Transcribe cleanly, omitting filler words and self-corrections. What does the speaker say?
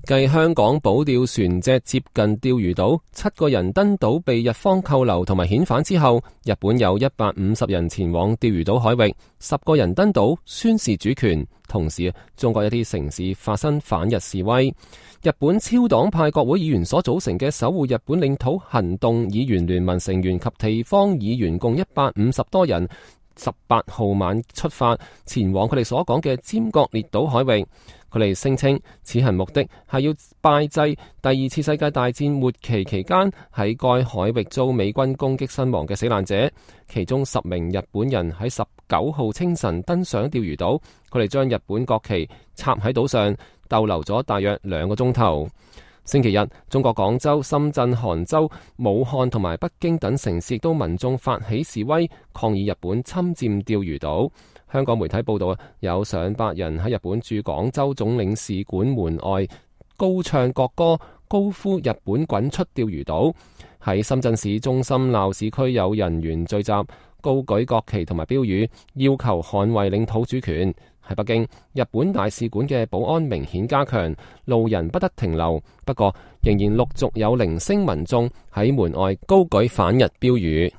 繼香港保釣船隻接近釣魚島，7個人登島被日方扣留同埋遣返之後，日本有150人前往釣魚島海域，10個人登島宣示主權。同時，中國一啲城市發生反日示威。日本超黨派國會議員所組成嘅守護日本領土行動議員聯盟成員及地方議員共150多人，18號晚出發前往佢哋所講嘅尖閣列島海域。佢哋聲稱此行目的係要拜祭第2次世界大戰末期期間喺該海域遭美軍攻擊身亡嘅死難者，其中10名日本人喺19號清晨登上釣魚島，佢哋將日本國旗插喺島上，逗留咗大約2個鐘頭。星期日，中國廣州、深圳、杭州、武漢同埋北京等城市亦都民眾發起示威，抗議日本侵佔釣魚島。香港媒體報道，有上百人喺日本駐廣州總領事館門外高唱國歌，高呼日本滾出釣魚島。喺深圳市中心鬧市區有人員聚集，高舉國旗同埋標語，要求捍衛領土主權。喺北京，日本大使館嘅保安明顯加強，路人不得停留。不過，仍然陸續有零星民眾喺門外高舉反日標語。